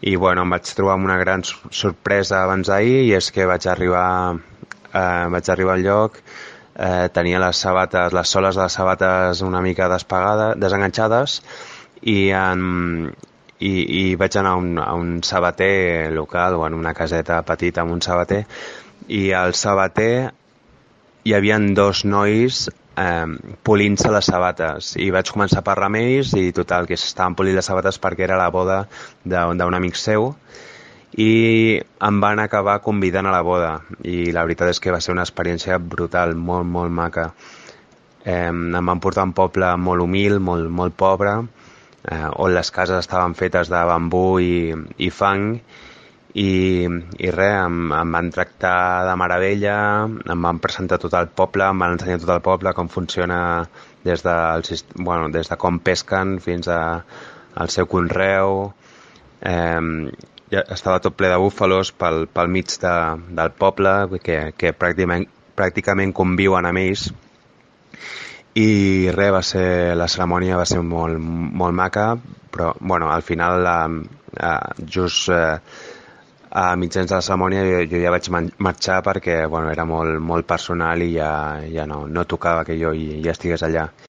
I bueno, em vaig trobar amb una gran sorpresa abans d'ahir, i és que vaig arribar al lloc, tenia les sabates, les soles de les sabates una mica desenganxades, i, i vaig anar a un sabater local, o en una caseta petita amb un sabater, i al sabater hi havia dos nois polint-se les sabates, i vaig començar a parlar amb ells, i total, que s'estaven polint les sabates perquè era la boda d'un amic seu, i em van acabar convidant a la boda, i la veritat és que va ser una experiència brutal, molt, molt maca. Em van portar a un poble molt humil, molt, molt pobre, on les cases estaven fetes de bambú i fang, i res, em van tractar de meravella, em van presentar tot el poble, em van ensenyar tot el poble, com funciona des de com pesquen fins al seu conreu. Ja estava tot ple de búfalos pel mig del poble, que pràcticament conviuen amb ells. I res, la cerimònia va ser molt, molt maca, però bueno, al final just a mitjans de la cerimònia jo ja vaig marxar perquè bueno, era molt, molt personal, i ja no tocava que jo ja estigués allà.